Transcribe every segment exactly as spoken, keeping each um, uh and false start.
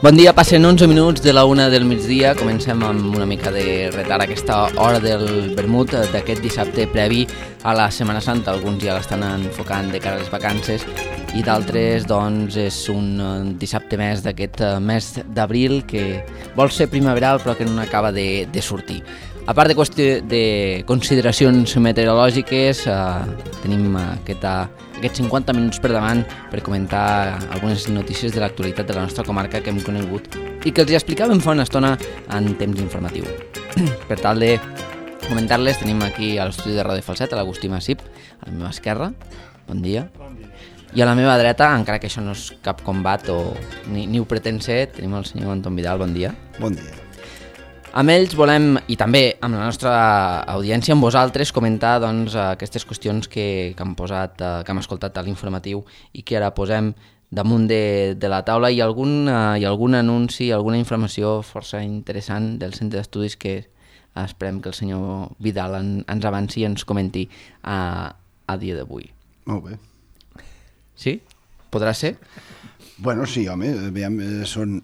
Bon dia, passen onze minuts de la una del migdia. Comencem amb una mica de retard aquesta hora del vermut d'aquest dissabte previ a la Setmana Santa. Alguns ja l'estan enfocant de cara a les vacances i d'altres doncs és un dissabte més d'aquest mes d'abril que vol ser primaveral però que no acaba de, de sortir. A part de, qüestió de consideracions meteorològiques, eh, tenim aquesta, aquests cinquanta minuts per davant per comentar algunes notícies de l'actualitat de la nostra comarca que hem conegut i que els explicàvem fa una estona en temps informatiu. Per tal de comentar-les, tenim aquí a l'estudi de Ràdio Falset l'Agustí Massip, a la meva esquerra. Bon dia. Bon dia. I a la meva dreta, encara que això no és cap combat o ni, ni ho pretén ser, tenim el senyor Anton Vidal. Bon dia. Bon dia. Amb ells volem, i també amb la nostra audiència, amb vosaltres, comentar doncs, aquestes qüestions que, que, han posat, que hem escoltat a l'informatiu i que ara posem damunt de, de la taula i algun, i algun anunci, alguna informació força interessant del centre d'estudis que esperem que el senyor Vidal en, ens avanci i ens comenti a, a dia d'avui. Molt bé. Sí? Podrà ser? Bueno, sí, home, aviam, són...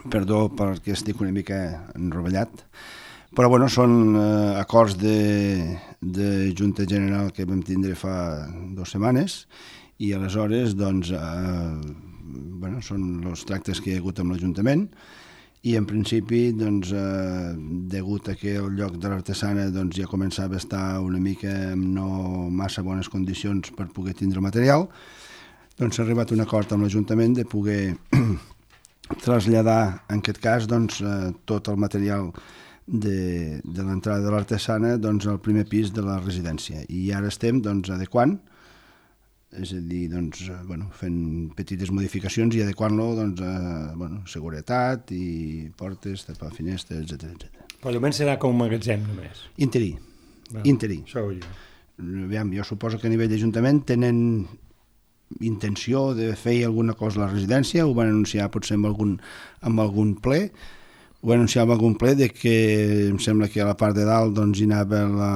Perdó perquè estic una mica enrovellat, però bueno, són eh, acords de, de Junta General que vam tindre fa dues setmanes i aleshores doncs, eh, bueno, són els tractes que hi ha hagut amb l'Ajuntament i en principi, doncs, eh, degut a que el lloc de l'artesana doncs, ja començava a estar una mica en no massa bones condicions per poder tindre el material, doncs s'ha arribat a un acord amb l'Ajuntament de poder traslladar, en aquest cas, doncs, eh, tot el material de, de l'entrada de l'artesana doncs, al primer pis de la residència. I ara estem doncs, adequant, és a dir, doncs, bueno, fent petites modificacions i adequant-lo doncs, a bueno, seguretat i portes, tapar finestres, etcètera, etcètera. Però almenys serà com un magatzem només. Interí. No, Interí. Això ho jo. Aviam, jo suposo que a nivell d'Ajuntament tenen intenció de fer alguna cosa a la residència, ho van anunciar potser amb algun, amb algun ple, ho van anunciar amb algun ple de que em sembla que a la part de dalt doncs, hi anava la,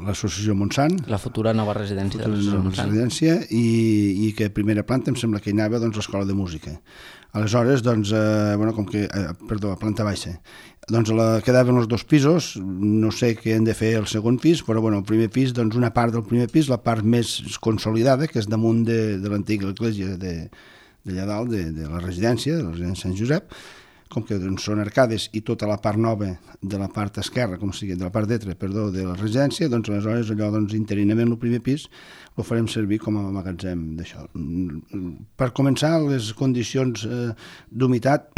l'associació Montsant, la futura nova residència de l'associació Montsant, residència, i, i que a primera planta em sembla que hi anava doncs, l'escola de música. Aleshores, doncs, eh, bueno, com que, eh, perdó, a planta baixa, doncs la, quedaven els dos pisos, no sé què hem de fer el segon pis, però bueno, el primer pis, doncs una part del primer pis, la part més consolidada, que és damunt de, de l'antiga església de, d'allà dalt, de, de la residència, de la residència Sant Josep, com que doncs, són arcades i tota la part nova de la part esquerra, com sigui, de la part d'etre, perdó, de la residència, doncs aleshores allò doncs, interinament el primer pis ho farem servir com a magatzem d'això. Per començar, les condicions eh, d'humitat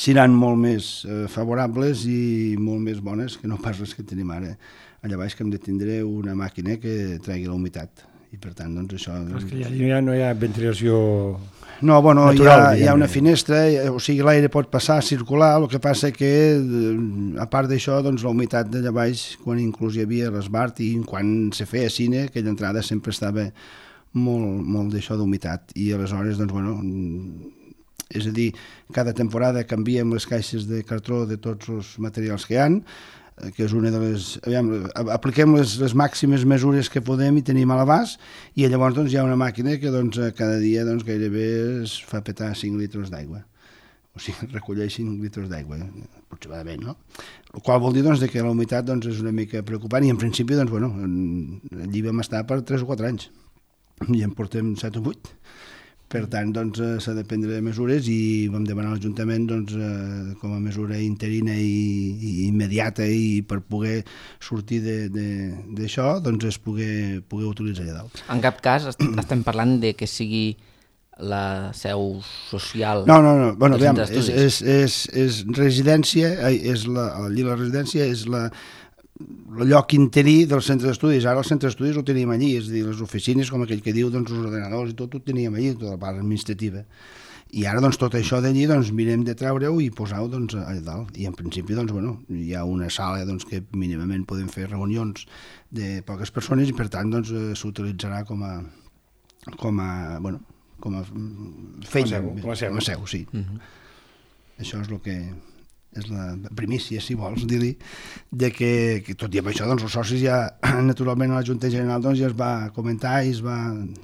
seran molt més eh, favorables i molt més bones que no pas les que tenim ara. Allà baix que hem de tindre una màquina que tregui la humitat i per tant, doncs això... Però és que ja, ja no hi ha ventilació... No, bueno, natural, hi ha, hi ha una finestra, o sigui, l'aire pot passar, circular, el que passa que, a part d'això, doncs, la humitat d'allà baix, quan inclús hi havia l'esbart i quan se feia cine, aquella entrada sempre estava molt, molt d'això d'humitat, i aleshores, doncs, bueno, és a dir, cada temporada canviem les caixes de cartró de tots els materials que hi ha, que és una de les... Aviam, apliquem les, les màximes mesures que podem i tenim a l'abast i llavors doncs, hi ha una màquina que doncs, cada dia doncs, gairebé es fa petar cinc litres d'aigua. O sigui, recolleix cinc litres d'aigua, aproximadament, no? El qual vol dir doncs, que la humitat doncs, és una mica preocupant i en principi doncs, bueno, allí vam estar per tres o quatre anys i en portem set o vuit. Per tant, doncs, s'ha de prendre mesures i vam demanar a l'Ajuntament doncs, eh, com a mesura interina i, i immediata i per poder sortir d'això, doncs es poder, poder utilitzar allà dalt. En cap cas estem parlant de que sigui la seu social... No, no, no. Bueno, del aviam, centre és, d'estudis. és, és, és residència, és la, allí la residència és la... el lloc interí del centre d'estudis. Ara el centre d'estudis ho teníem allí, és a dir, les oficines, com aquell que diu, doncs els ordenadors i tot ho teníem allí, tota la part administrativa. I ara doncs, tot això d'allí doncs, mirem de treure-ho i posar-ho doncs, allà dalt. I en principi doncs, bueno, hi ha una sala doncs, que mínimament podem fer reunions de poques persones i per tant doncs, s'utilitzarà com a, com a, bueno, com a feina, com a seu, com a seu. Com a seu sí. Uh-huh. Això és el que és la primícia, si vols dir-li, de que, que tot i amb això doncs, els socis ja, naturalment a la Junta General doncs, ja es va comentar i es va...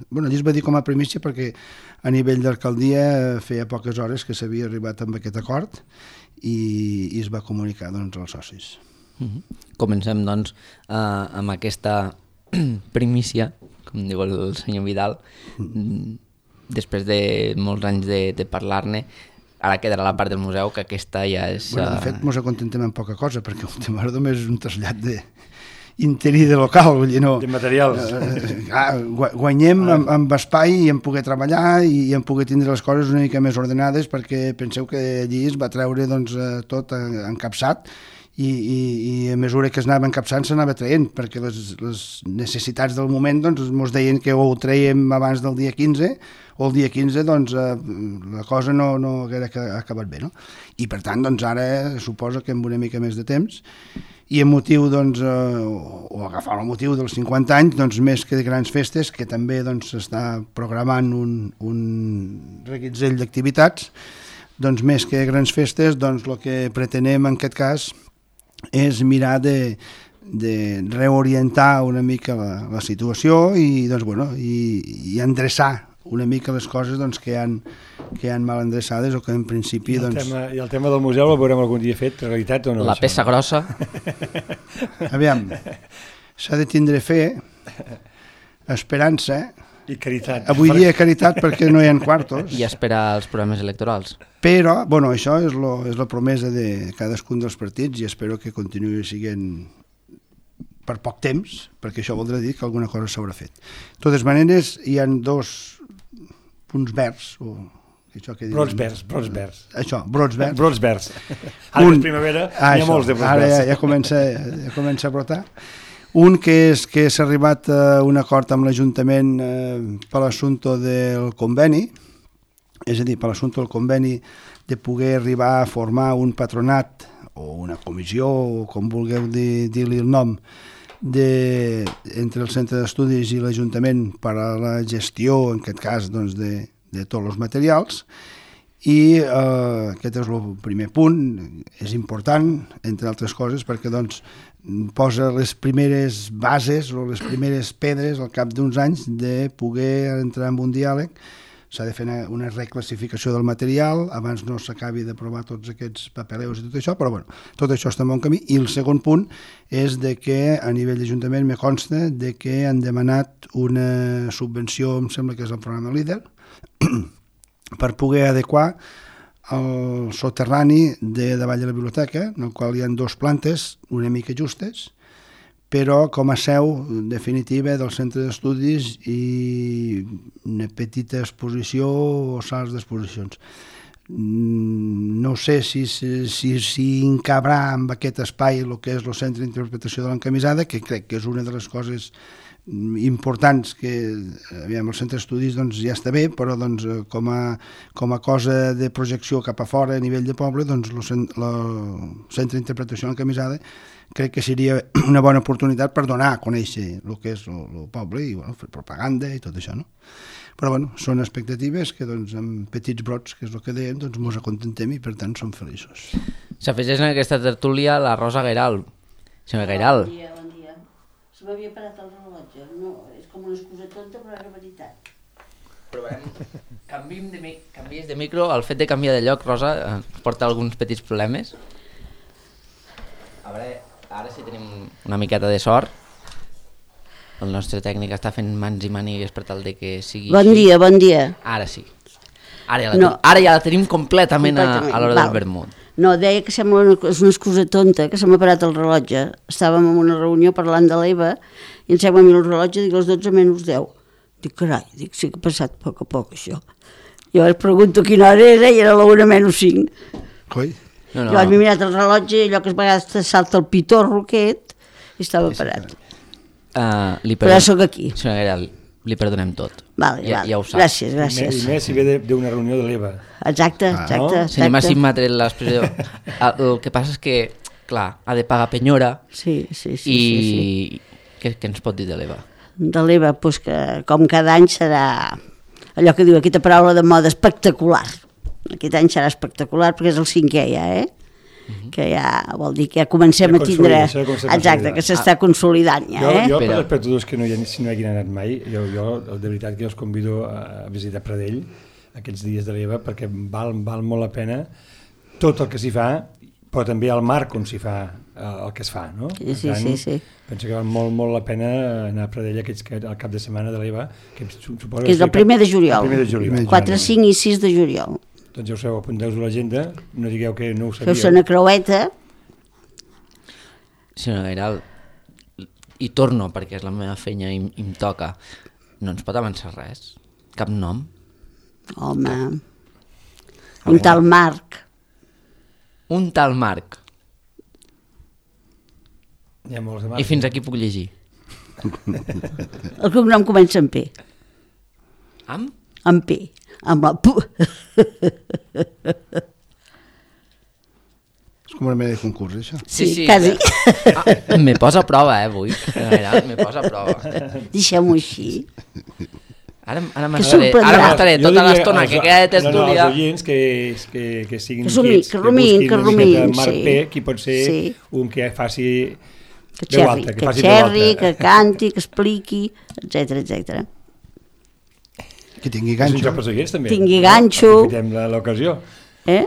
Bueno, allí es va dir com a primícia perquè a nivell d'alcaldia feia poques hores que s'havia arribat amb aquest acord i, i es va comunicar doncs, als socis. Uh-huh. Comencem doncs uh, amb aquesta primícia, com diu el senyor Vidal, mm. després de molts anys de, de parlar-ne. Ara quedarà la part del museu, que aquesta ja és... Bueno, de fet, ens acontem amb poca cosa, perquè el tema només és un trasllat de interí de local, vull dir, no... De materials. Eh, ah, guanyem ah. amb, amb espai i en poder treballar i en poder tindre les coses una mica més ordenades, perquè penseu que allí es va treure doncs, tot encapçat i, i, i a mesura que es anava encapçant s'anava traient, perquè les, les necessitats del moment doncs, ens deien que ho traiem abans del dia quinze o el dia quinze doncs, eh, la cosa no, no haguera acabat bé. No? I per tant, doncs, ara suposo que amb una mica més de temps i amb motiu, doncs, eh, o agafar el motiu dels cinquanta anys, doncs, més que de grans festes, que també doncs, s'està programant un, un reguitzell d'activitats, doncs, més que grans festes, doncs, el que pretenem en aquest cas és mirar de, de reorientar una mica la, la situació i, doncs, bueno, i, i endreçar una mica les coses doncs, que, han, que han mal endreçades o que en principi... I el, doncs... tema, I el tema del museu el veurem algun dia fet, realitat o no? La això? Peça grossa. Aviam, s'ha de tindre fe, esperança... I caritat. Avui dia caritat perquè no hi ha quartos. I esperar els programes electorals. Però, bueno, això és, lo, és la promesa de cadascun dels partits i espero que continuï siguent per poc temps, perquè això voldrà dir que alguna cosa s'haurà fet. De totes maneres, hi ha dos punts verds, o això que brots verds, brots verds. Això, brots verds. Brots verds. Ara un, que és primavera, ah, hi ha això, molts de brots ara verds. Ja, ja, comença, ja comença a brotar. Un que és que s'ha arribat a un acord amb l'Ajuntament eh, per l'assumpte del conveni, és a dir, per l'assumpte del conveni de poder arribar a formar un patronat o una comissió, o com vulgueu dir, dir-li el nom, de, entre el centre d'estudis i l'Ajuntament per a la gestió, en aquest cas, doncs, de, de tots els materials. I eh, aquest és el primer punt, és important, entre altres coses, perquè doncs, posa les primeres bases o les primeres pedres al cap d'uns anys de poder entrar en un diàleg. S'ha de fer una reclassificació del material, abans no s'acabi d'aprovar tots aquests papeleus i tot això, però bueno, tot això està en bon camí. I el segon punt és de que a nivell d'Ajuntament me consta de que han demanat una subvenció, em sembla que és el programa LEADER, per poder adequar el soterrani de davall de la biblioteca, en el qual hi ha dues plantes una mica justes, però com a seu definitiva del centre d'estudis i una petita exposició o sales d'exposicions. No sé si, si, si encabrà amb aquest espai el que és el centre d'interpretació de l'encamisada, que crec que és una de les coses importants que aviam, el centre d'estudis doncs, ja està bé, però doncs, com, a, com a cosa de projecció cap a fora a nivell de poble, doncs, el centre d'interpretació de l'encamisada crec que seria una bona oportunitat per donar a conèixer el que és el, el poble i bueno, fer propaganda i tot això, no? Però bueno, són expectatives que doncs, amb petits brots, que és el que dèiem, doncs ens acontentem i per tant som feliços. S'afegeix en aquesta tertúlia la Rosa Gairal. Senyor Gairal. Bon dia, bon dia. Se m'havia parat el rellotge. No, és com una excusa tonta, però era veritat. Provem. Canviem de, canvies de micro. El fet de canviar de lloc, Rosa, porta alguns petits problemes. A veure, ara sí tenim una miqueta de sort. El nostre tècnic està fent mans i mànigues per tal de que sigui Bon així. dia, bon dia. Ara sí. Ara ja la, No. ten... ara ja la tenim completament, Completament, a, a l'hora val. del vermut. No, deia que sembla una, és una excusa tonta, que se m'ha parat el rellotge. Estàvem en una reunió parlant de l'E V A i em sembla a mi el rellotge, dic, les dotze menys deu. Dic, carai, dic, sí que ha passat a poc a poc, això. Jo es pregunto quina hora era i era la una menys cinc. Coi? No, no. Jo m'he mirat el rellotge i allò que a vegades te salta el pitorro aquest i estava parat. Uh, li Però ja sóc aquí. Senyor Gairal, li perdonem tot. Vale, ja, vale. ja ho saps. Gràcies, gràcies. I més si ve d'una reunió de l'E V A. Exacte, exacte. no? exacte. Senyor Massim m'ha tret l'expressió. El que passa és que, clar, ha de pagar penyora Sí, sí, sí. i sí, sí. Què, què ens pot dir de l'E V A? De l'E V A, doncs que com cada any serà allò que diu aquesta paraula de moda, espectacular. Aquest any serà espectacular perquè és el cinquè ja, eh? Uh-huh. Que ja vol dir que ja comencem Ja a tindre... consolida, ja Exacte, que s'està consolidant ja, Jo, eh? jo per Però- les espectadors que no hi, ha, si no hi hagin anat mai, jo, jo de veritat que els convido a visitar Pradell aquests dies de l'E V A perquè val, val molt la pena tot el que s'hi fa, però també el marc on s'hi fa el que es fa, no? Sí, Per sí, tant, sí, sí. Penso que val molt, molt la pena anar a Pradell aquests, al cap de setmana de l'E V A, que suposo Que és el primer de juliol. El primer de juliol. quatre, cinc i sis de juliol. Doncs ja ho sabeu, apunteu-vos a l'agenda, no digueu que no ho Feu-se sabíeu. una creueta. Senyor Gairal, i torno perquè és la meva feina i, i em toca. No ens pot avançar res? Cap nom? Home, un tal Marc. Un tal Marc. Hi ha molts de I fins aquí puc llegir. El cognom comença amb P. Amb? Amb P. Amb la P. És com una mena de concurs, això. Sí, quasi. Ah, me posa a prova, eh, avui. Gairal, me posa a prova. Deixem-ho així. Ara, ara Que m'estaré sorprendrà. ara m'estaré Jo tota diria l'estona als- que queda de No, no, tertúlia. els oients que, que, que siguin Que sumi- inquiets, que rumiïn, busquin que una miqueta rumiïn, Marc sí. P, qui pot ser Sí. un que faci Que veu xerri, alta, que, faci veu xerri, alta. que canti, que expliqui, etcètera, etcètera. Que tingui És un ganxo. joc pels oients, també. Tingui no? ganxo. Aprofitem la- l'ocasió. Eh?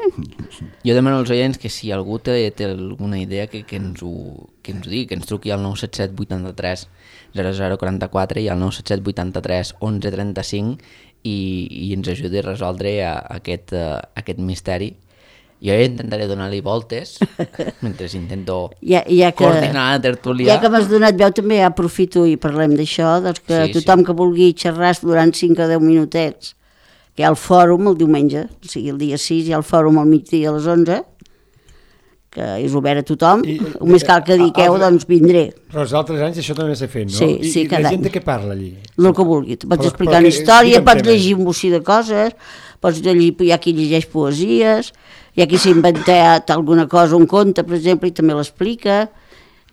Jo demano als oients que si algú té, té alguna idea que, que, ens ho, que ens ho digui, que ens truqui al nou set set vuitanta-tres zero zero quaranta-quatre i al nou set set vuitanta-tres onze trenta-cinc i, i ens ajudi a resoldre a, a aquest, a, aquest misteri. Jo ja intentaré donar-li voltes mentre intento Ja, ja que, coordinar la tertúlia. ja que m'has donat veu també aprofito i parlem d'això, doncs que Sí, sí. tothom que vulgui xerrar durant cinc o deu minutets, que hi ha el fòrum el diumenge, o sigui el dia sis hi ha el fòrum al migdia a les onze, que és obert a tothom, I- només cal que diqueu, altre- doncs vindré, Però els altres anys això també s'ha fet, no? Sí, I, sí, I la cada gent any. de què parla allí? el que vulgui. Tu pots Però- explicar però una que- història, digue'm pots temes. llegir un bocí de coses, pots llegir, hi ha qui llegeix poesies, hi ha qui s'ha inventat alguna cosa, un conte, per exemple, i també l'explica,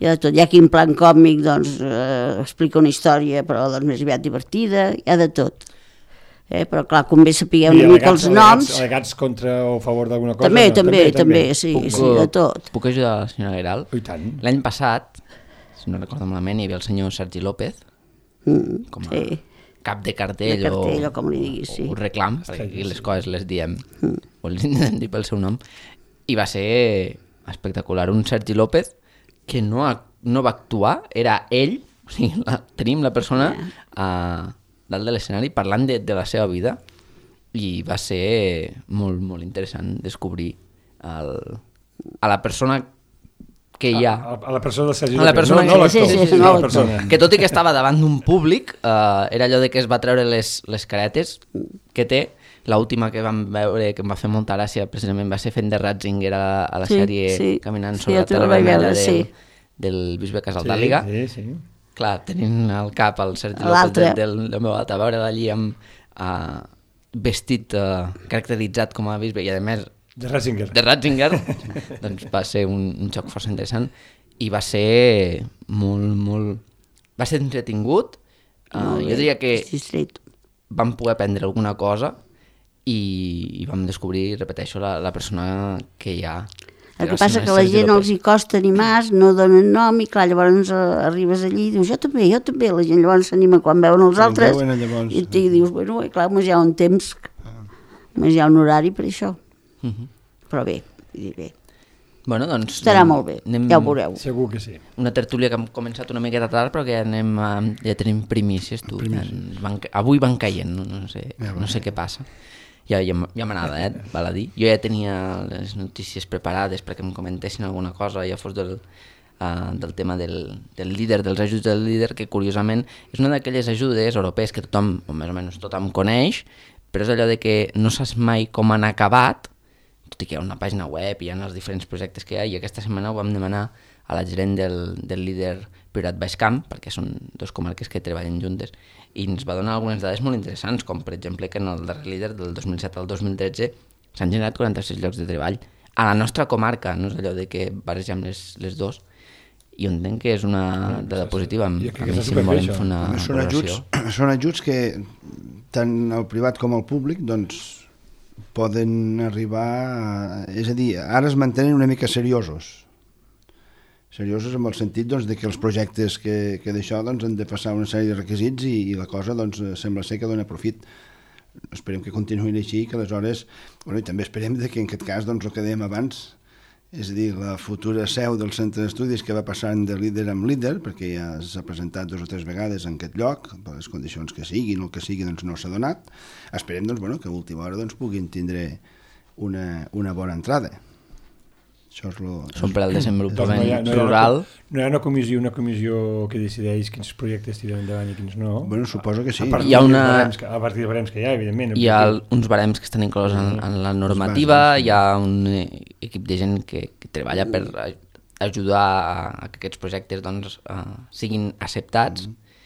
hi ha de tot. Hi ha qui en plan còmic doncs, eh, explica una història, però doncs, més aviat divertida, hi ha de tot. Eh? Però clar, convé sapigueu I una mica al·legats- els noms. al·legats- Al·legats contra o a favor d'alguna cosa? També, no? també, també, sí, Puc, sí, de tot. Puc ajudar la senyora Gairal? Oh, i tant. L'any passat, si no recordo malament, hi havia el senyor Sergi López Mm, com a sí. cap de cartell, De cartell, o, o com li diguis, sí. o reclam, perquè aquí les coses les diem o les intentem dir pel seu nom, i va ser espectacular. Un Sergi López que no, ha, no va actuar, era ell, o sigui, la, tenim la persona a dalt de l'escenari parlant de, de la seva vida, i va ser molt, molt interessant descobrir el, a la persona que hi ha, A, a la persona del Sergi a la López, persona no, no que- sí, l'actor, sí, sí, sinó no la l'actor. persona. que tot i que estava davant d'un públic, eh, era allò de que es va treure les, les caretes que té. L'última que vam veure, que em va fer molta gràcia, precisament va ser fent de Ratzinger a, a la Sí, sèrie sí. Caminant Sí, sobre jo la també terra la vaig vermella veure, del, sí. del bisbe Sí, Casaldàliga. sí, sí. Clar, tenint al cap el Sergi López L'altre. del, del, del meu altre, veure allí amb uh, vestit uh, caracteritzat com a bisbe i a més De Ratzinger. de Ratzinger, doncs va ser un, un joc força interessant i va ser molt, molt... va ser entretingut. Uh, Molt jo bé, diria que distret. vam poder aprendre alguna cosa i, i vam descobrir, repeteixo, la, la persona que hi ha. El que passa que a la gent els hi costa animar, no donen nom i clar, llavors eh, arribes allí i dius jo també, jo també, la gent llavors s'anima quan veuen els Quan altres veuen, llavors, i, i dius, bueno, i clar, només hi ha un temps, només hi ha un horari per això, Uh -huh. però bé, vull dir, bé, Bueno, doncs... estarà anem- molt bé, anem- ja ho veureu. Segur que sí. Una tertúlia que hem començat una miqueta tard però que ja, anem, a, ja tenim primícies, tu. Ens Van, ca- avui van caient, no, no, sé, no sé què passa. Ja, ja, m- ja m'anava, eh, val a dir. Jo ja tenia les notícies preparades perquè em comentessin alguna cosa, ja fos del, uh, del tema del, del líder, dels ajuts del líder, que curiosament és una d'aquelles ajudes europees que tothom, o més o menys tothom coneix, però és allò de que no saps mai com han acabat, tot i que hi ha una pàgina web i hi ha els diferents projectes que hi ha, i aquesta setmana ho vam demanar a la gerent del, del líder Priorat Baix Camp, perquè són dos comarques que treballen juntes, i ens va donar algunes dades molt interessants, com per exemple que en el darrer líder del dos mil set al dos mil tretze s'han generat quaranta-sis llocs de treball a la nostra comarca, no és allò de que barregem les, les dos, i jo entenc que és una dada positiva. A mi si volem fer una són ajuts, són ajuts que tant el privat com el públic doncs, poden arribar a, és a dir, ara es mantenen una mica seriosos seriosos en el sentit doncs, de que els projectes que, que d'això doncs, han de passar una sèrie de requisits i, i la cosa doncs, sembla ser que dona profit. Esperem que continuïn així, que aleshores, bueno, i també esperem que en aquest cas doncs, el que dèiem abans, és a dir, la futura seu del centre d'estudis que va passant de líder en líder, perquè ja s'ha presentat dues o tres vegades en aquest lloc, per les condicions que siguin o el que sigui doncs, no s'ha donat, esperem doncs, bueno, que a última hora doncs, puguin tindre una, una bona entrada. Això és lo, Són per al desenvolupament no hi ha, no hi ha rural. Una, no hi ha una comissió, una comissió que decideix quins projectes tiren endavant i quins no. Bueno, suposo que sí. A partir, hi ha una... que, a partir de barems que hi ha, evidentment. Hi ha el, uns barems que estan inclòs en, en la normativa, hi ha un equip de gent que, que treballa per ajudar a, a que aquests projectes doncs, uh, siguin acceptats mm.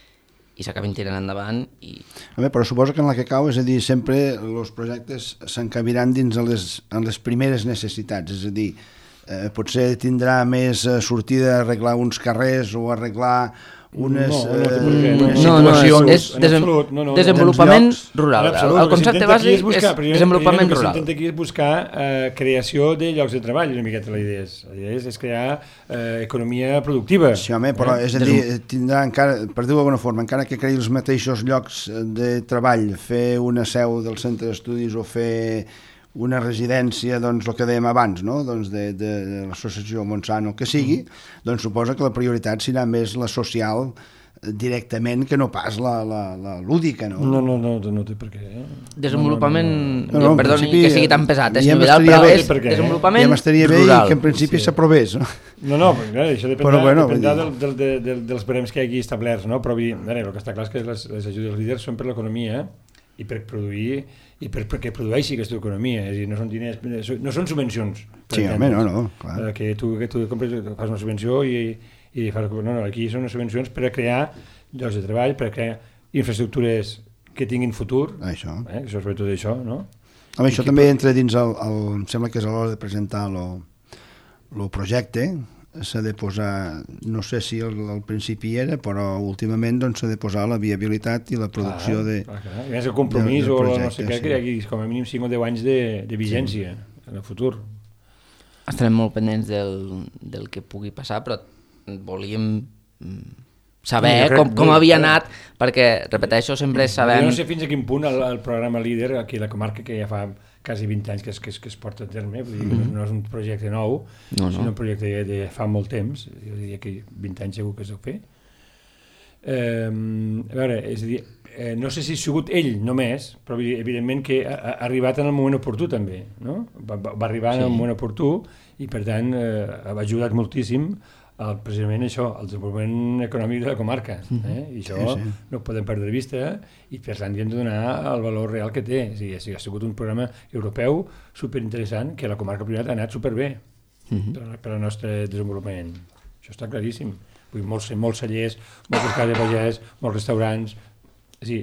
i s'acabin tirant endavant. I... A veure, però suposo que en la que cau, és a dir, sempre els projectes s'encabiran dins de les, en les primeres necessitats, és a dir, Eh, potser tindrà més eh, sortida a arreglar uns carrers o arreglar unes, no, no, eh, no, unes no, no, situacions... és, és desem, absolut, no, no, desenvolupament llocs, rural. Absolut, el concepte bàsic és, buscar, és desenvolupament el que rural. El que s'intenta aquí és buscar eh, creació de llocs de treball, una miqueta la idea és. La idea és, és crear eh, economia productiva. Sí, home, però eh? és a dir, tindrà encara, per dir-ho d'alguna forma, encara que creï els mateixos llocs de treball, fer una seu del centre d'estudis o fer una residència, doncs, el que dèiem abans, no? Doncs de, de, de l'associació Montsant o que sigui, mm. doncs suposa que la prioritat serà més la social directament que no pas la, la, la lúdica, no? No, no, no, no té per què. Eh? Desenvolupament, no, no, no, no. Perdoni que sigui tan pesat, és ja Vidal, però bé, és perquè, desenvolupament ja m'estaria bé rural. i que en principi sí. s'aprovés, no? No, no, perquè això dependrà, però, bueno, dependrà del, del, del, del, dels barems que hi hagi establerts, no? Però veure, el que està clar és que les, les ajudes líders són per l'economia i per produir i per, perquè produeixi aquesta economia, és a dir, no són diners, no són subvencions. Sí, home, no, no, clar. Que tu, que tu compres, fas una subvenció i, i fas... No, no, aquí són unes subvencions per a crear llocs de treball, per a crear infraestructures que tinguin futur, això. Eh? Això és sobretot això, no? Home, això també entra dins el, el... Em sembla que és a l'hora de presentar el projecte, s'ha de posar, no sé si al, al principi era, però últimament doncs, s'ha de posar la viabilitat i la producció clar, de... Clar, clar. I més el compromís de, de projecte, o no sé què, sí. Que hi hagi com a mínim cinc o deu anys de, de vigència sí. En el futur. Estarem molt pendents del, del que pugui passar, però volíem saber sí, com, com havia anat, perquè, repeteixo, sempre sabem... Jo no sé fins a quin punt el, el programa líder aquí a la comarca, que ja fa quasi vint anys que es, que es, que es porta a terme, vull dir que mm-hmm. no és un projecte nou, no, no. Sinó un projecte de, de fa molt temps, jo diria que vint anys segur que es deu fer. Eh, a veure, és a dir, eh, no sé si ha sigut ell només, però evidentment que ha, ha arribat en el moment oportú també, no? Va, va arribar sí. En el moment oportú i per tant eh, ha ajudat moltíssim el, precisament això, el desenvolupament econòmic de la comarca, eh? I això sí, sí. No ho podem perdre de vista i per tant hem de donar el valor real que té. És a dir, ha sigut un programa europeu superinteressant que la comarca Priorat ha anat superbé uh-huh. per, per al nostre desenvolupament. Això està claríssim. Vull dir, molts, molts cellers, moltes cases de pagès, molts restaurants... És a dir,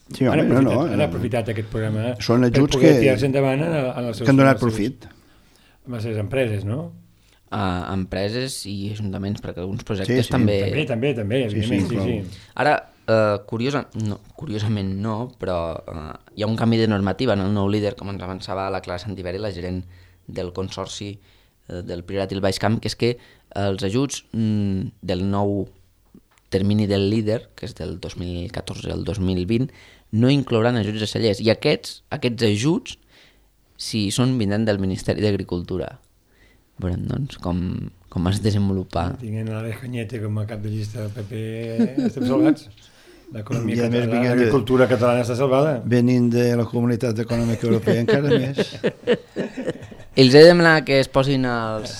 sí, home, han, aprofitat, no, no, han aprofitat aquest programa són per poder que, tirar-se endavant en, en els seus... Que han donat profit. Amb les seves empreses, no? A empreses i ajuntaments, perquè alguns projectes sí, sí. també... També, també, també, evidentment, sí, sí, sí. Ara, uh, curiosa, no, curiosament no, però uh, hi ha un canvi de normativa en el nou líder, com ens avançava la Clara Santiberi, la gerent del consorci uh, del Priorat i el Baix Camp, que és que uh, els ajuts mm, del nou termini del líder, que és del dos mil catorze al dos mil vint, no inclouran ajuts a cellers. I aquests, aquests ajuts, si són, vindran del Ministeri d'Agricultura. Veurem, doncs, com, com es desenvolupa. Tinguent l'Àlex Cañete com a cap de llista del P P, estem salvats. L'economia catalana, l'agricultura catalana està salvada. Venint de la Comunitat Econòmica Europea encara més. Els he de demanar que es posin els,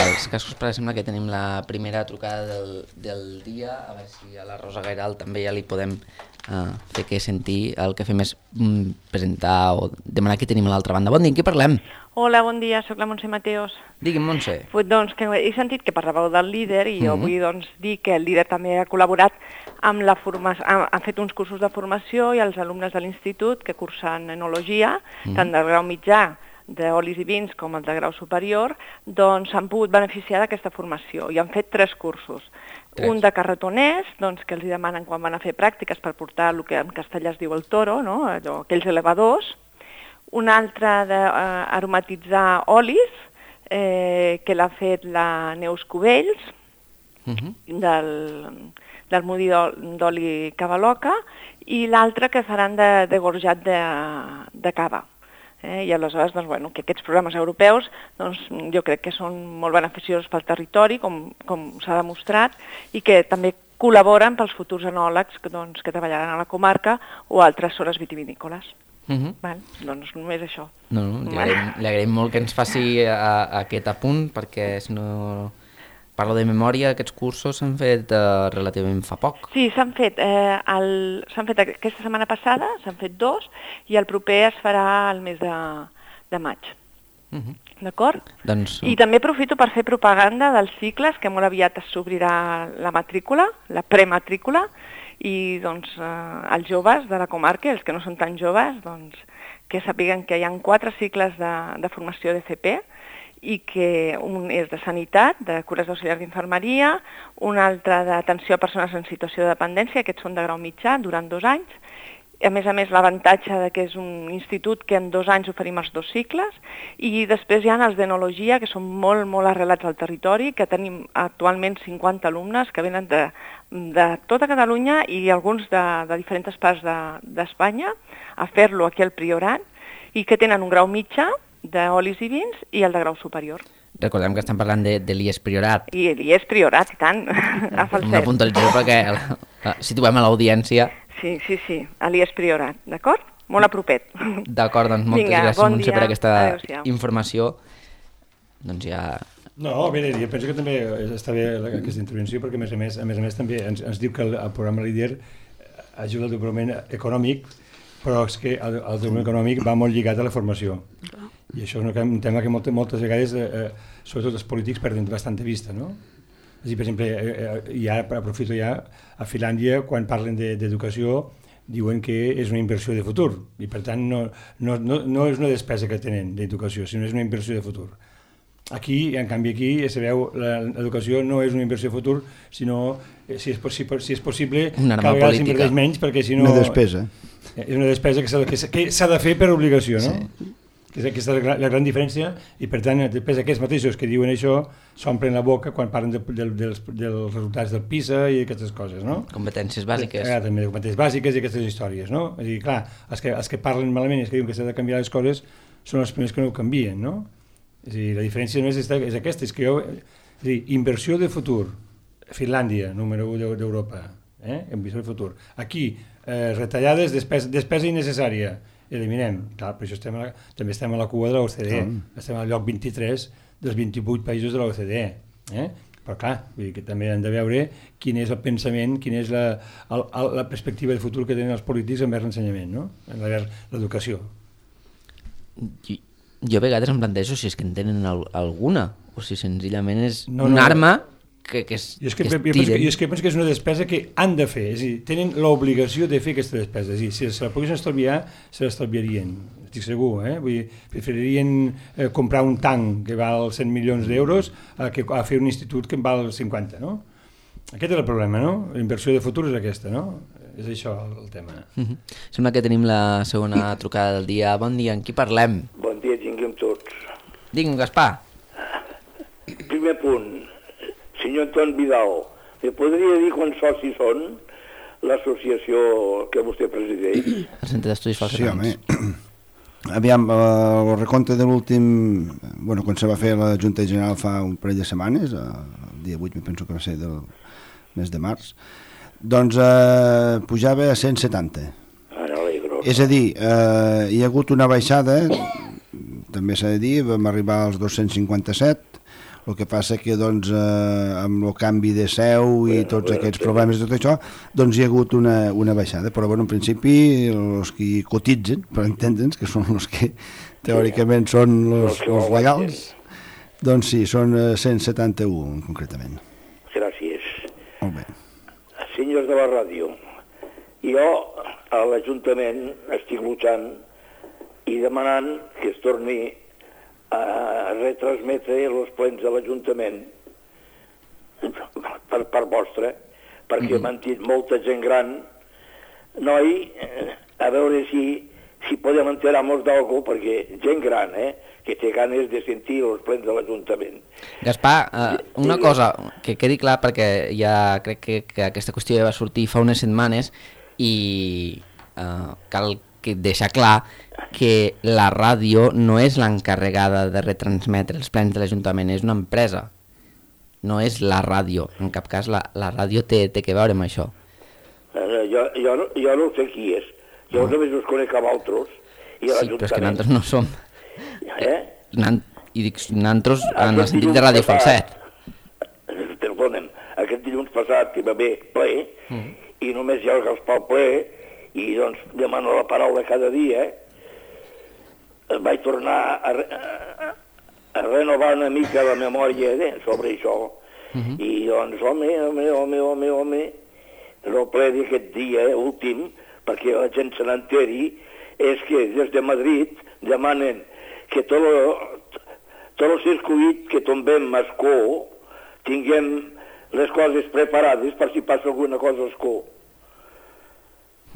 als cascos, però sembla que tenim la primera trucada del, del dia, a veure si a la Rosa Gairal també ja li podem uh, fer que sentir. El que fem és mm, presentar o demanar que tenim a l'altra banda. Bon dia, en què parlem? Hola, bon dia, sóc la Montse Mateos. Digui'm, Montse. Pues, doncs, que he sentit que parlàveu del líder i jo Mhm. vull doncs, dir que el líder també ha col·laborat amb la formació, ha, ha fet uns cursos de formació i els alumnes de l'institut que cursen enologia, Mhm. tant del grau mitjà d'olis i vins com el de grau superior, doncs s'han pogut beneficiar d'aquesta formació i han fet tres cursos. Tres. Un de carretoners, doncs, que els hi demanen quan van a fer pràctiques per portar el que en castellà es diu el toro, no? Allò, aquells elevadors. Un altre d'aromatitzar olis, eh, que l'ha fet la Neus Cubells, Uh-huh. del, del mudi d'oli Cavaloca, i l'altre que faran de, de gorjat de, de cava. Eh? I aleshores, doncs, bueno, que aquests programes europeus doncs, jo crec que són molt beneficiosos pel territori, com, com s'ha demostrat, i que també col·laboren pels futurs enòlegs que, doncs, que treballaran a la comarca o a altres zones vitivinícoles. Uh-huh. Val? Doncs només això. No, no, li agraïm, li agraïm molt que ens faci a, a aquest apunt, perquè si no parlo de memòria, aquests cursos s'han fet uh, relativament fa poc. Sí, s'han fet, eh, el, s'han fet aquesta setmana passada, s'han fet dos, i el proper es farà el mes de, de maig. Uh-huh. D'acord? Doncs... I també aprofito per fer propaganda dels cicles, que molt aviat s'obrirà la matrícula, la prematrícula, i doncs eh, els joves de la comarca, els que no són tan joves, doncs que sàpiguen que hi ha quatre cicles de, de formació de C P, i que un és de sanitat, de cures d'auxiliars d'infermeria, un altre d'atenció a persones en situació de dependència, aquests són de grau mitjà, durant dos anys. A més a més, l'avantatge de que és un institut que en dos anys oferim els dos cicles, i després hi ha els d'enologia, que són molt, molt arrelats al territori, que tenim actualment cinquanta alumnes que venen de, de tota Catalunya i alguns de, de diferents parts d'Espanya de, a fer-lo aquí al Priorat, i que tenen un grau mitjà d'olis i vins i el de grau superior. Recordem que estem parlant de, de l'I E S Priorat. I l'I E S Priorat, i tant, a falset. Una puntualització perquè el, el, situem a l'audiència. Sí, sí, sí, a l'I E S Priorat, d'acord? Molt a propet. D'acord, doncs moltes Vinga, gràcies, bon Montse, dia. per aquesta Adéu-siau. informació. Doncs ja... No, bé, jo penso que també està bé aquesta intervenció, perquè a més a més, a més, a més també ens, ens diu que el, el programa Líder ajuda al desenvolupament econòmic, però és que el, el desenvolupament econòmic va molt lligat a la formació. I això és un tema que moltes, moltes vegades, eh, sobretot els polítics, perden bastant de vista, no? És a dir, per exemple, eh, ja aprofito ja, a Finlàndia, quan parlen d'educació, diuen que és una inversió de futur, i per tant no, no, no, no és una despesa que tenen d'educació, sinó és una inversió de futur. Aquí, en canvi, aquí se veu l'educació no és una inversió de futur, sinó, si és, possible, si és possible, una cada vegada s'inverteix menys, perquè si no... Una despesa. És una despesa que s'ha que s'ha de fer per obligació, no? Sí. Que és aquesta la, la gran diferència, i per tant, després aquests mateixos que diuen això s'omplen la boca quan parlen de, de, dels, dels resultats del PISA i aquestes coses, no? Competències bàsiques. Eh, també competències bàsiques i aquestes històries, no? És a dir, clar, els que, els que parlen malament i els que diuen que s'ha de canviar les coses són els primers que no ho canvien, no? És a dir, la diferència només és, és aquesta, és que jo... És a dir, inversió de futur, Finlàndia, número u d'Europa, eh? Inversió de futur. Aquí, eh, retallades, despesa, despesa innecessària, eliminem. Clar, per això estem a la, també estem a la cua de l'O C D E. Mm. Estem al lloc vint-i-tres dels vint-i-vuit països de l'O C D E. Eh? Però clar, vull dir que també hem de veure quin és el pensament, quina és la, el, el, la perspectiva de futur que tenen els polítics envers l'ensenyament, no? Envers l'educació. Jo, jo a vegades em plantejo si és que en tenen al, alguna, o si senzillament és no, una no, arma que, que, es, jo és que, que es jo penso que, tiren. jo és que penso que és una despesa que han de fer, és a dir, tenen l'obligació de fer aquesta despesa, és a dir, si se la poguessin estalviar, se l'estalviarien, estic segur, eh? Vull dir, preferirien eh, comprar un tanc que val cent milions d'euros a, que, a fer un institut que en val cinquanta, no? Aquest és el problema, no? La inversió de futur és aquesta, no? És això el, el tema. Uh-huh. Sembla que tenim la segona trucada del dia. Bon dia, amb qui parlem? Bon dia, tinguem tots. Digue'm, Gaspar. Primer punt, senyor Anton Vidal, me podria dir quants socis són l'associació que vostè presideix? El Centre d'Estudis Sí, Falserans. home. Aviam, el recompte de l'últim... Bueno, quan se va fer la Junta General fa un parell de setmanes, el dia vuit, me penso que va ser del mes de març, doncs eh, pujava a cent setanta. Ara alegro. És a dir, eh, hi ha hagut una baixada, també s'ha de dir, vam arribar als dos-cents cinquanta-set, El que passa que doncs, eh, amb el canvi de seu i Bueno, tots bueno, aquests sí. problemes i tot això, doncs hi ha hagut una, una baixada. Però bueno, en principi els que cotitzen, per entendre'ns, que són els que teòricament són els, Els que ho els legals, doncs sí, són eh, cent setanta-u concretament. Gràcies. Molt bé. Senyors de la ràdio, jo a l'Ajuntament estic luchant i demanant que es torni a retransmetre els plens de l'Ajuntament per part vostra, perquè m'han dit molta gent gran, noi, eh, a veure si, si podem enterar-nos d'algú, perquè gent gran, eh, que té ganes de sentir els plens de l'Ajuntament. Gaspar, eh, una cosa que quedi clar, perquè ja crec que, que aquesta qüestió ja va sortir fa unes setmanes i eh, cal que deixar clar que la ràdio no és l'encarregada de retransmetre els plens de l'Ajuntament, és una empresa, no és la ràdio, en cap cas la, la ràdio té, té que veure amb això. Eh, jo, jo, no- jo no sé qui és, jo no. només us conec a vosaltres i a Sí, però és que l'Ajuntament. nosaltres no som. Eh? Nan, I dic nosaltres en el Aquest sentit de dilluns Ràdio passat- Falset. Perdona'm, aquest dilluns passat que va haver ple, mm. i només hi ha el Gaspar ple, i doncs demano la paraula cada dia, eh, vaig tornar a, re- a, a renovar una mica la memòria eh, sobre això, mm-hmm. i doncs, home, home, home, home, home, el ple d'aquest dia eh, últim, perquè la gent se n'enteri, és que des de Madrid demanen que tot el, tot el circuit que tombem a Escó tinguem les coses preparades per si passa alguna cosa a Escó.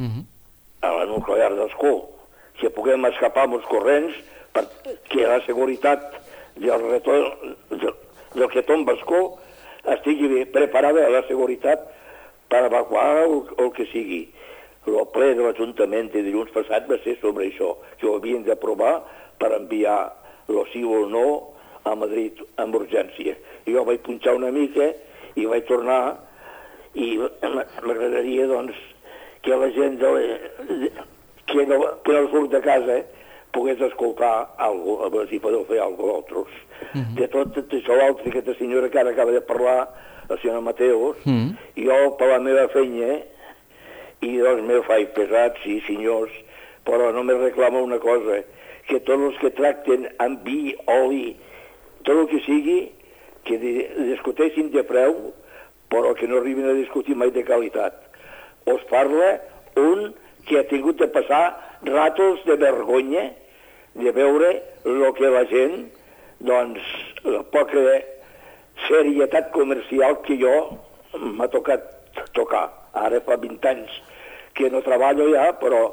Mm-hmm. A la nuclear d'Escó. Que puguem escapar amb els corrents perquè la seguretat del, retorn, del, del que tomba a Escó estigui preparada a la seguretat per evacuar el, el que sigui. El ple de l'Ajuntament de dilluns passat va ser sobre això, que ho havien d'aprovar per enviar el sí o el no a Madrid amb urgència. I jo vaig punxar una mica i vaig tornar i m'agradaria doncs que la gent de la, que, no, que no surt de casa eh, pogués escoltar alguna cosa, a veure si podeu fer alguna cosa d'altres. Mm-hmm. De tot, tot això l'altre, aquesta senyora que ara acaba de parlar, la senyora Mateus, mm-hmm. jo per la meva feina i doncs me faig pesat, sí senyors, però només reclamo una cosa, que tots els que tracten amb vi, oli, tot el que sigui, que discuteixin de preu, però que no arribin a discutir mai de qualitat. Us parla un que ha tingut de passar ratos de vergonya de veure el que la gent, doncs, la poca serietat comercial que jo m'ha tocat tocar. Ara fa vint anys que no treballo ja, però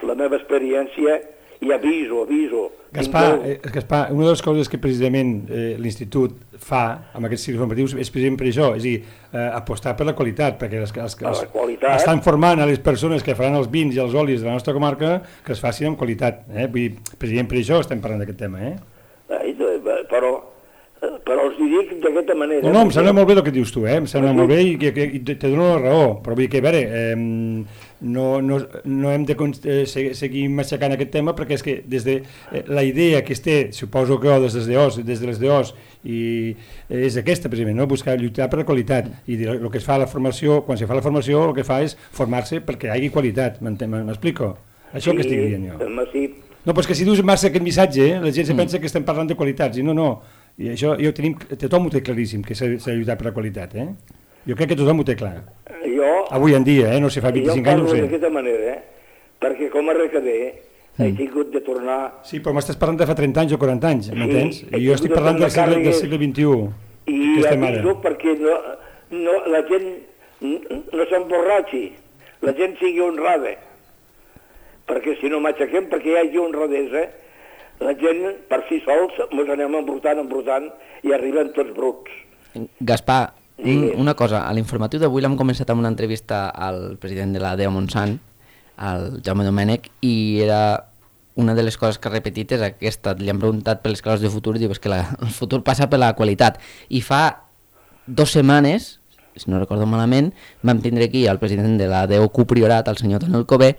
la meva experiència, i aviso, aviso. Gaspar, eh, Gaspar, una de les coses que precisament eh, l'Institut fa amb aquests cicles formatius és precisament per això, és a dir, eh, apostar per la qualitat, perquè els, els, els, la qualitat. estan formant a les persones que faran els vins i els olis de la nostra comarca que es facin amb qualitat. Eh? Vull dir, precisament per això estem parlant d'aquest tema. Eh? Ai, però, però els dic d'aquesta manera. No, no, em sembla molt bé el que dius tu, eh? Em sembla molt bé i, que, que, i te dono la raó, però vull dir que, a veure, eh, no, no, no hem de eh, seguir matxacant aquest tema perquè és que des de eh, la idea que es té, suposo que des de les des de les D Os, i és aquesta precisament, no? Buscar lluitar per la qualitat, i el que es fa a la formació, quan se fa la formació, el que fa és formar-se perquè hi hagi qualitat, m'explico? Això sí, que estic dient jo. Sí. No, però és que si dius massa aquest missatge, eh, la gent se mm. pensa que estem parlant de qualitats, i no, no, i això jo tenim, tothom ho té claríssim, que s'ha de lluitar per la qualitat, eh? Jo crec que tothom ho té clar. Jo, avui en dia, eh? No sé, fa vint-i-cinc anys, no sé. Jo parlo d'aquesta manera, eh? Perquè com a recader mm. he tingut de tornar... Sí, però m'estàs parlant de fa trenta anys o quaranta anys, m'entens? Sí, I jo estic parlant del segle, del segle vint-i-u. I aviso perquè no, no, la gent no s'emborratxi, la gent sigui honrada. Perquè si no m'aixequem, perquè hi hagi honradesa, la gent per si sols ens anem embrutant, embrutant i arriben tots bruts. Gaspar, un, una cosa, a l'informatiu d'avui l'hem començat amb una entrevista al president de la D E O Montsant, el Jaume Domènech, i era una de les coses que ha repetit és aquesta, li han preguntat per les classes de futur i diu que la, el futur passa per la qualitat. I fa dues setmanes, si no recordo malament, vam tindre aquí el president de la D E O Q Priorat, el senyor Toni Alcover,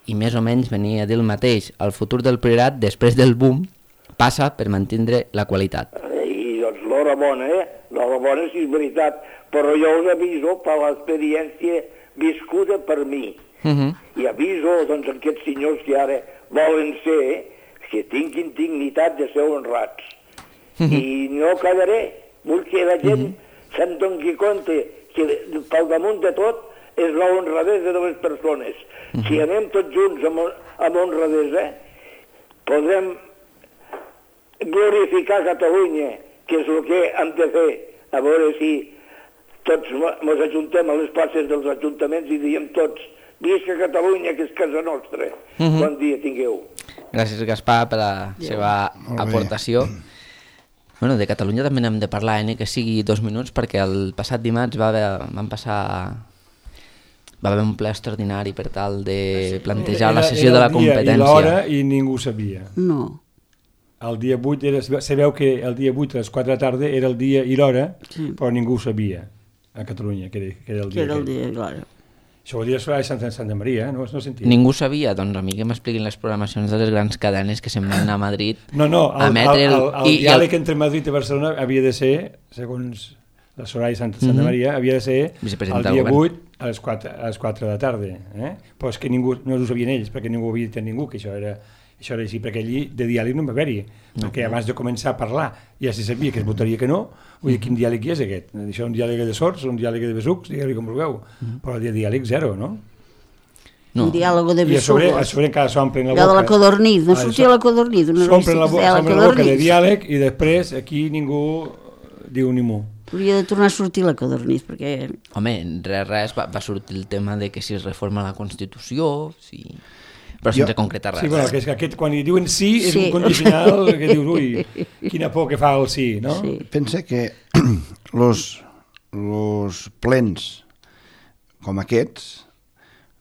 i més o menys venia a dir el mateix. El futur del Priorat, després del boom, passa per mantindre la qualitat. I doncs, lo, l'horabona, eh? L'horabona sí és veritat, però jo us aviso per l'experiència viscuda per mi. Uh-huh. I aviso, doncs, aquests senyors que ara volen ser, que tinguin dignitat de ser honrats. Uh-huh. I no callaré, vull que la gent uh-huh. se'n doni compte que pel damunt de tot és la honradesa de les persones. Uh-huh. Si anem tots junts amb, amb honradesa, podrem glorificar Catalunya, que és el que hem de fer, a veure si tots ens ajuntem a les places dels ajuntaments i diem tots, visca Catalunya, que és casa nostra. Uh-huh. Bon dia tingueu. Gràcies, Gaspar, per la seva aportació. Bueno, de Catalunya també n'hem de parlar, eh? Que sigui dos minuts, perquè el passat dimarts va haver, van passar... va haver un ple extraordinari per tal de plantejar la sessió de la competència. I l'hora i ningú sabia. No. El dia vuit, era, sabeu que el dia vuit a les quatre de la tarda era el dia i l'hora, sí. Però ningú sabia a Catalunya que era, que era el dia. Que era el dia i l'hora. Això vol dir a Sant, Santa Maria, no, no sentia. Ningú sabia, doncs a mi que m'expliquin les programacions de les grans cadenes que se'n van anar a Madrid no, no, el, a emetre... El, el, el, el i, diàleg el... entre Madrid i Barcelona havia de ser, segons la Soraya Santa, Santa mm-hmm. Maria, havia de ser el dia vuit a les quatre, a les quatre de la tarda. Eh? Però és que ningú, no ho sabien ells, perquè ningú havia dit a ningú que això era... Això era així, perquè allí de diàleg no va haver-hi, no, perquè abans de començar a parlar ja se sabia que es votaria que no, vull dir, quin diàleg hi és aquest? Això és un diàleg de sords, un diàleg de besucs, digue-li com vulgueu, però el diàleg zero, no? No. Un diàleg de besugos. I a sobre, a sobre encara s'omplen la boca. De la codornís, no sortia la codornís. S'omplen la, la, la boca de diàleg i després aquí ningú diu ni mu. Hauria de tornar a sortir la codornís, perquè... Home, res, res, va, va sortir el tema de que si es reforma la Constitució, si... però sense jo... concretar res. Sí, bueno, que és que aquest, quan hi diuen sí, és sí. Un condicional que dius, ui, quina por que fa el sí, no? Sí. Pensa que los, los plens com aquests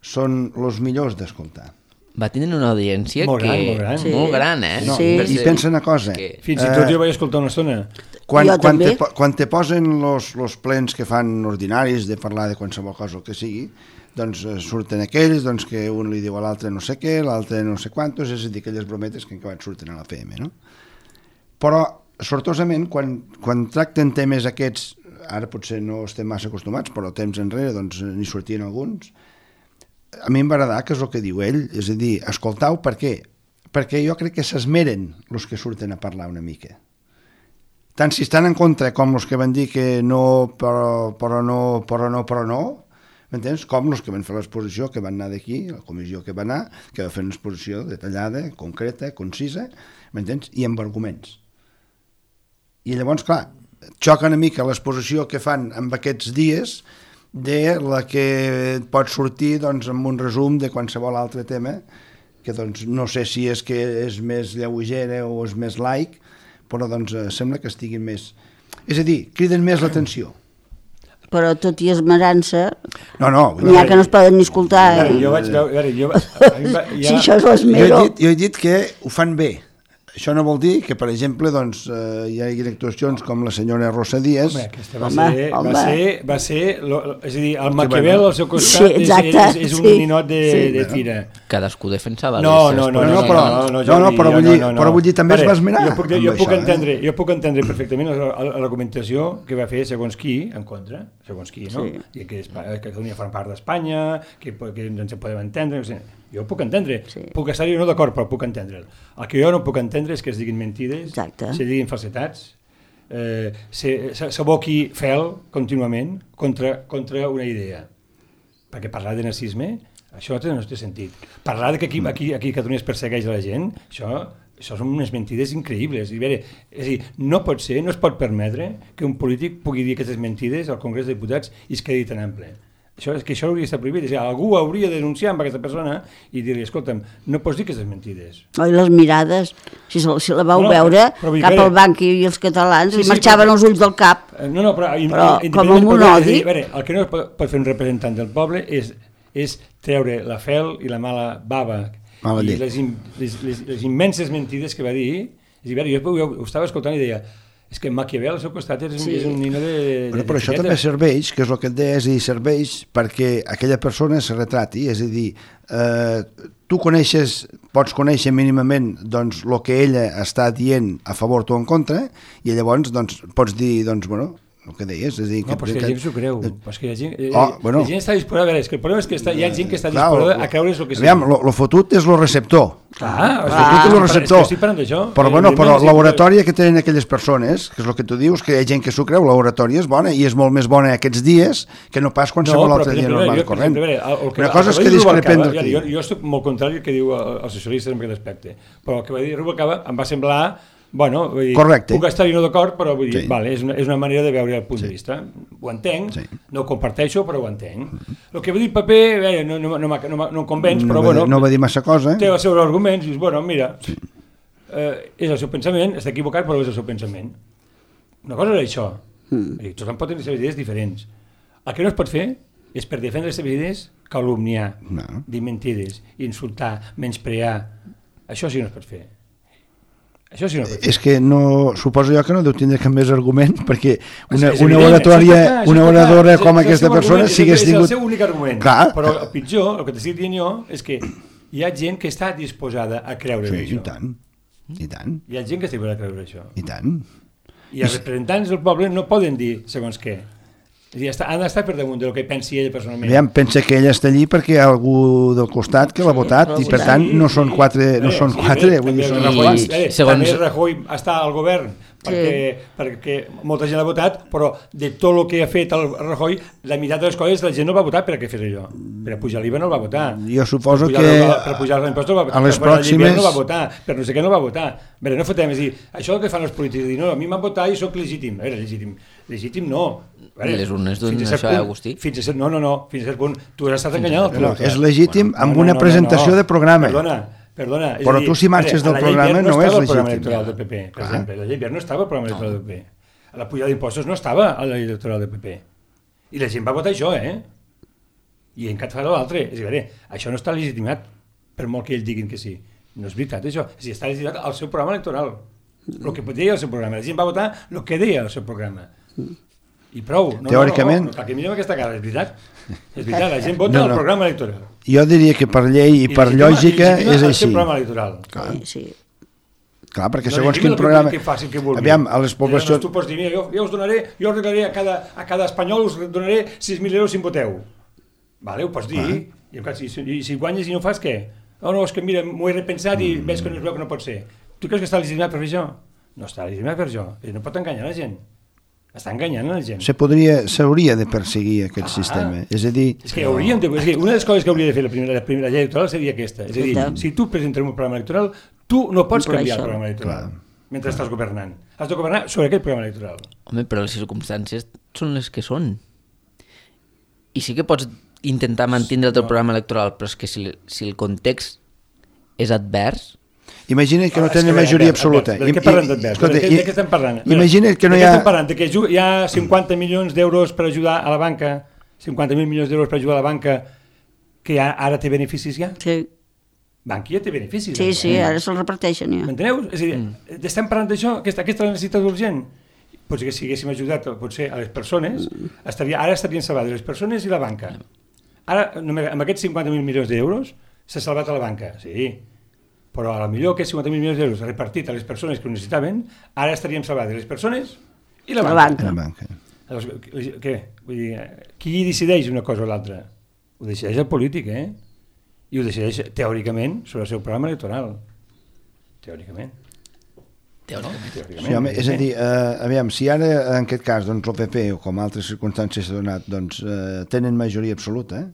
són els millors d'escoltar. Va tenir una audiència molt gran, que... molt gran, sí. molt gran eh? No, sí. I pensa una cosa. Que... Fins i tot jo vaig escoltar una estona. Quan, quan, te, quan te posen los, los plens que fan ordinaris de parlar de qualsevol cosa que sigui, doncs surten aquells doncs, que un li diu a l'altre no sé què, l'altre no sé quantos, és a dir, aquelles brometes que encara surten a la F M, no? Però, sortosament, quan, quan tracten temes aquests, ara potser no estem massa acostumats, però temps enrere doncs, n'hi sortien alguns, a mi em va agradar que és el que diu ell, és a dir, escoltau, per què? Perquè jo crec que s'esmeren els que surten a parlar una mica. Tant si estan en contra com els que van dir que no, però, però no, però no, però no, m'entens? Com els que van fer l'exposició, que van anar d'aquí, la comissió que va anar, que va fer una exposició detallada, concreta, concisa, m'entens? I amb arguments. I llavors, clar, xoca una mica l'exposició que fan en aquests dies de la que pot sortir doncs, amb un resum de qualsevol altre tema, que doncs, no sé si és que és més lleugera o és més laic, però doncs, sembla que estiguin més... És a dir, criden més l'atenció. Però tot i esmerant-se, no, no, n'hi ha que no es poden ni escoltar. Eh? Jo vaig veure... Jo, ja... Si això és l'esmero... Jo, he dit, jo he dit que ho fan bé. Això no vol dir que, per exemple, doncs, eh, hi hagi actuacions com la senyora Rosa Díaz. Home, aquesta va home, ser... Home. Va ser, va ser lo, és a dir, el Maquiavel al seu costat sí, exacte, és, és, és un sí, ninot de, sí. de tira. Cadascú defensava no, les no, no, no, no, però, no, no, no, no, però, vull dir, no, no. però vull dir, també vale, es va esmenar. Jo puc, jo, puc això, entendre, eh? jo puc entendre perfectament l'argumentació que va fer segons qui, en contra, segons qui, no? Sí. I que, que Catalunya forma part d'Espanya, que, que ens en podem entendre, no sé. Jo puc entendre, sí. puc estar-hi no d'acord, però puc entendre'l. El que jo no puc entendre és que es diguin mentides, exacte. Se diguin falsetats, eh, s'aboqui fel contínuament contra, contra una idea. Perquè parlar de nazisme, això no té sentit. Parlar de que aquí, aquí, aquí Catalunya es persegueix a la gent, això, això són unes mentides increïbles. I veure, és a dir, no pot ser, no es pot permetre que un polític pugui dir aquestes mentides al Congrés de Diputats i es quedi tan ample. Això, és que això hauria d'estar prohibit. És a dir, algú hauria de denunciar amb aquesta persona i dir-li, escolta'm, no pots dir aquestes mentides. Oi, les mirades, si, si la vau no, veure però, però, cap veure, al banc i els catalans, sí, sí, marxaven però, els ulls del cap. No, no, però, però com amb un odi... Dir, veure, el que no pot, pot fer un representant del poble és, és treure la fel i la mala bava mala i les, les, les, les immenses mentides que va dir. És a dir, jo, jo ho estava escoltant i deia, És que Maquiavel al seu costat és, Sí. és un nino de... de Però, però això d'etiqueta. també serveix, que és el que et deia, és a dir, serveix perquè aquella persona se retrati, és a dir, eh, tu coneixes, pots conèixer mínimament doncs, el que ella està dient a favor o en contra, i llavors doncs, pots dir, doncs, bueno, el que deies, és a dir... No, però és que la gent s'ho creu. Però és que hi ha gent, Oh, bueno. la gent està disposada... A veure, és que el problema és que està, hi ha gent que està Clar, disposada lo- a creure's el que sigui. Aviam, lo, lo fotut és lo receptor. Clar, El és fotut és lo que receptor. estic parlant d'això. Però, bueno, però Evidentment, sí, l'oratòria que tenen aquelles persones, que és el que tu dius, que hi ha gent que s'ho creu, l'oratòria és bona, i és molt més bona aquests dies que no pas qualsevol però, altre per dia exemple, normal jo, per corrent. exemple, a veure, el que- Una cosa el és va que dir discrepem Rubalcaba, d'aquí. jo, jo estic molt contrari al que diu els socialistes en aquest aspecte, però el que va dir Rubalcaba em va semblar, bueno, vull dir, Correcte. puc estar-hi no d'acord, però vull dir, Sí. vale, és, una, és una manera de veure el punt de vista. Ho entenc, Sí. no ho comparteixo, però ho entenc. El que va dir el paper, eh, no, no, no, m'ha- no, m'ha- no em convenç, No però va, bueno, dir- no va dir massa cosa, té eh? els seus arguments, i dius, bueno, mira, eh, és el seu pensament, està equivocat, però és el seu pensament. Una cosa és això. Mm. Tothom pot tenir les seves idees diferents. El que no es pot fer és, per defendre les seves idees, calumniar, No. dir mentides, insultar, menysprear. Això sí que no es pot fer. Això sí que no es pot fer. És que no, suposo jo que no deu tindre cap més argument, perquè una, És una evident, oratòria, això està clar, això una està clar. oradora És- com és el aquesta seu persona, argument, si hagués és tingut... el seu únic argument. Clar. Però el pitjor, el que t'estic dient jo, és que hi ha gent que està disposada a creure Sí, això. i tant, i tant, Hi ha gent que està disposada a creure això. i tant. I els representants del poble no poden dir segons què. És a dir, està- han d'estar per damunt del que pensi ell personalment. Aviam, pensa que ella està allí perquè hi ha algú del costat que l'ha votat i per tant no són quatre, no són quatre, vull dir, són Rajoy, uns quants. eh, Segons- També Rajoy està al govern perquè, perquè molta gent l'ha votat, però de tot el que ha fet el Rajoy, la meitat de les coses la gent no va votar per a què fes allò. Per a pujar l'I V A no el va votar. Jo suposo per pujar, que per pujar els impostos no va votar. a les per pujar l'hivern pròximes- no va votar, per no sé què no va votar. A veure, no fotem, és dir, això que fan els polítics, dir, no, a mi m'han votat i sóc legítim. A veure, legítim, legítim no. A veure, Les urnes donen fins a cert això, eh, punt- Agustí? Fins a cert, no, no, no, fins a cert punt. Tu has estat enganyat. No, és legítim amb una presentació de programa. Perdona, perdona. És Però a dir, tu si marxes a veure, del a la llei programa Wert no és estava el programa legítim. electoral del P P, per Clar. exemple. La llei Wert no estava al programa electoral del P P. A la pujada d'impostos no estava a la llei electoral del P P. I la gent va votar això, eh? I en cap fa l'altre. És a dir, això no està legitimat, per molt que ells diguin que sí. No és veritat, això. És a dir, està legitimat al seu programa electoral. El que deia el seu programa. La gent va votar el que deia el seu programa. I prou. No, Teòricament. No, no, no, que mirem aquesta cara, és veritat. És veritat, la gent vota No, no, no. el programa electoral. Jo diria que per llei i per legitima- lògica legitima és el així. seu programa electoral. Sí, sí. Clar, perquè No segons legitima quin el que- programa... Que facin que vulguin. Aviam, a les Llavors, poblacions... tu pots dir, mira, jo, jo us donaré, jo us donaré a cada, a cada espanyol us donaré sis mil euros si em voteu. Vale, ho pots dir. I, en cas, i, si, I si guanyes i no fas, què? No, no, és que mira, m'ho he repensat i veig que no es veu que no pot ser. Tu creus que està legitimat per fer això? No està legitimat per això. I no pot enganyar la gent. Està enganyant la gent. Se podria, s'hauria de perseguir aquest Ah. sistema. És a dir, És que hauríem de, és que una de les coses que hauria de fer la primera, la primera llei electoral seria aquesta. És a dir, Exacte. si tu presentes un programa electoral, tu no pots Incloure canviar el això. programa electoral Clar. mentre estàs governant. Has de governar sobre aquest programa electoral. Home, però les circumstàncies són les que són. I sí que pots intentar mantenir el teu programa electoral, però és que si, si el context és advers, imagina't que no Ah, és tenen que, majoria a veure, absoluta. a veure, De què parlem d'advers? Escolta, De, què- de què estem parlant? A veure, Imagina't que no de hi què ha... estem parlant? De que ju- hi ha cinquanta milions d'euros per ajudar a la banca, cinquanta mil milions d'euros per ajudar a la banca, que ja, ara té beneficis ja? Sí, Bankia té beneficis. sí, ara, sí, eh? ara se'l reparteixen ja. M'enteneu? És a dir, mm. estem parlant d'això, aquesta, aquesta necessitat urgent. Potser que si haguéssim ajudat potser a les persones, estaria, ara estarien salvades les persones i la banca. Ara, només, amb aquests cinquanta mil milions d'euros, s'ha salvat a la banca, sí. Però a la millor aquests cinquanta mil milions d'euros repartit a les persones que ho necessitaven, ara estaríem salvades les persones i la La banca. banca. La banca. Llavors, què? Vull dir, qui decideix una cosa o l'altra? Ho decideix el polític, eh? I ho decideix teòricament sobre el seu programa electoral. Teòricament. teòricament. Teòricament. Sí, home, és a dir, eh, aviam, si ara en aquest cas doncs, el P P o com altres circumstàncies s'ha donat doncs, eh, tenen majoria absoluta, eh?